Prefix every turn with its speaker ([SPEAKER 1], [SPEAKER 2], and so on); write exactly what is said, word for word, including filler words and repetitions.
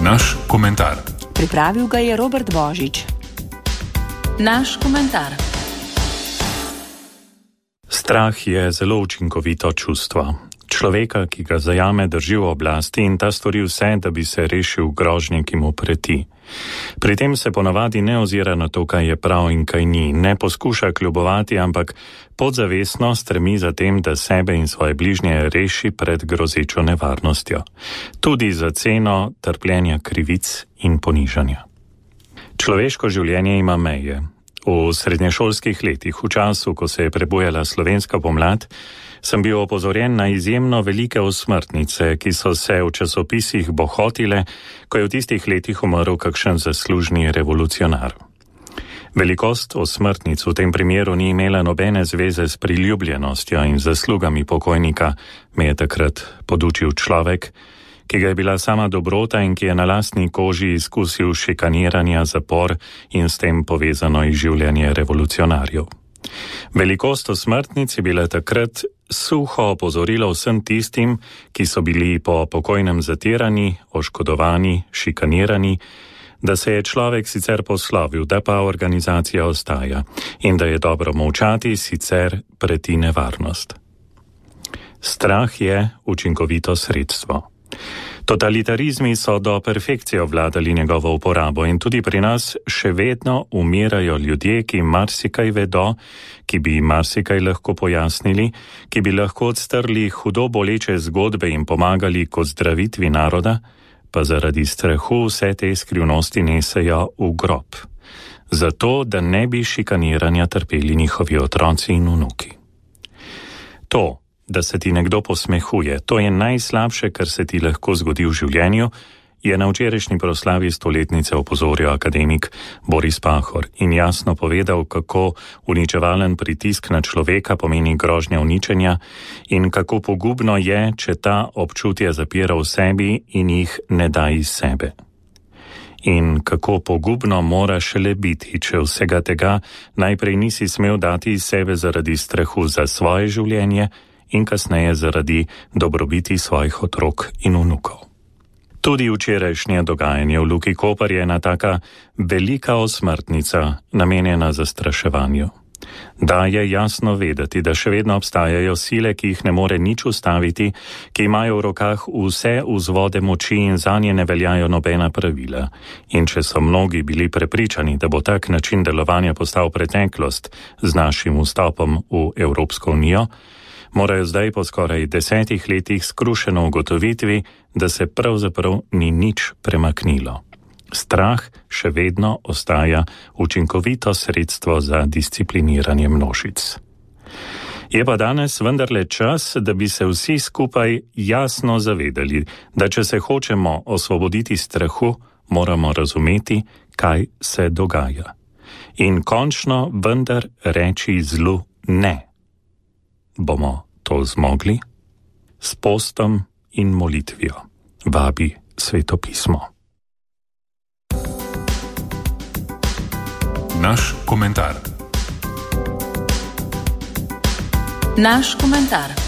[SPEAKER 1] Naš komentar.
[SPEAKER 2] Pripravil ga je Robert Božič. Naš komentar.
[SPEAKER 3] Strah je zelo učinkovito čustvo. Človeka, ki ga zajame, drži v oblasti in ta stori vse, da bi se rešil grožnje, ki mu preti. Pri tem se ponavadi ne ozira na to, kaj je prav in kaj ni, ne poskuša kljubovati, ampak podzavestno stremi za tem, da sebe in svoje bližnje reši pred grozečo nevarnostjo. Tudi za ceno trpljenja krivic in ponižanja. Človeško življenje ima meje. V srednješolskih letih, v času, ko se je prebujala slovenska pomlad, sem bil opozorjen na izjemno velike osmrtnice, ki so se v časopisih bohotile, ko je v tistih letih umrl kakšen zaslužni revolucionar. Velikost osmrtnic v tem primeru ni imela nobene zveze s priljubljenostjo in zaslugami pokojnika, me je takrat podučil človek, ki ga je bila sama dobrota in ki je na lastni koži izkusil šikaniranja, zapor in s tem povezano izživljanje revolucionarjev. Velikost osmrtnic je bila takrat suho opozorilo vsem tistim, ki so bili po pokojnem zatirani, oškodovani, šikanirani, da se je človek sicer poslovil, da pa organizacija ostaja in da je dobro molčati, sicer preti nevarnost. Strah je učinkovito sredstvo. Totalitarizmi so do perfekcije obvladali njegovo uporabo in tudi pri nas še vedno umirajo ljudje, ki marsikaj vedo, ki bi marsikaj lahko pojasnili, ki bi lahko odstrli hudo boleče zgodbe in pomagali k ozdravitvi naroda, pa zaradi strahu vse te skrivnosti nesejo v grob. Zato, da ne bi šikaniranja trpeli njihovi otroci in vnuki. To, da se ti nekdo posmehuje, to je najslabše, kar se ti lahko zgodi v življenju, je na včerajšnji proslavi stoletnice opozoril akademik Boris Pahor in jasno povedal, kako uničevalen pritisk na človeka pomeni grožnja uničenja in kako pogubno je, če ta občutja zapira v sebi in jih ne da iz sebe. In kako pogubno mora šele biti, če vsega tega najprej nisi smel dati iz sebe zaradi strahu za svoje življenje in kasneje zaradi dobrobiti svojih otrok in vnukov. Tudi včerajšnje dogajanje v Luki Koper je ena taka velika osmrtnica, namenjena zastraševanju. Da je jasno vedeti, da še vedno obstajajo sile, ki jih ne more nič ustaviti, ki imajo v rokah vse vzvode moči in zanje ne veljajo nobena pravila. In če so mnogi bili prepričani, da bo tak način delovanja postal preteklost z našim vstopom v Evropsko unijo, morajo zdaj po skoraj desetih letih skrušeno ugotovitvi, da se pravzaprav ni nič premaknilo. Strah še vedno ostaja učinkovito sredstvo za discipliniranje množic. Je pa danes vendarle čas, da bi se vsi skupaj jasno zavedali, da če se hočemo osvoboditi strahu, moramo razumeti, kaj se dogaja. In končno vendar reči zlu ne. Bomo to zmogli? S postom in molitvijo vabi Sveto pismo.
[SPEAKER 1] Naš komentar.
[SPEAKER 2] Naš komentar.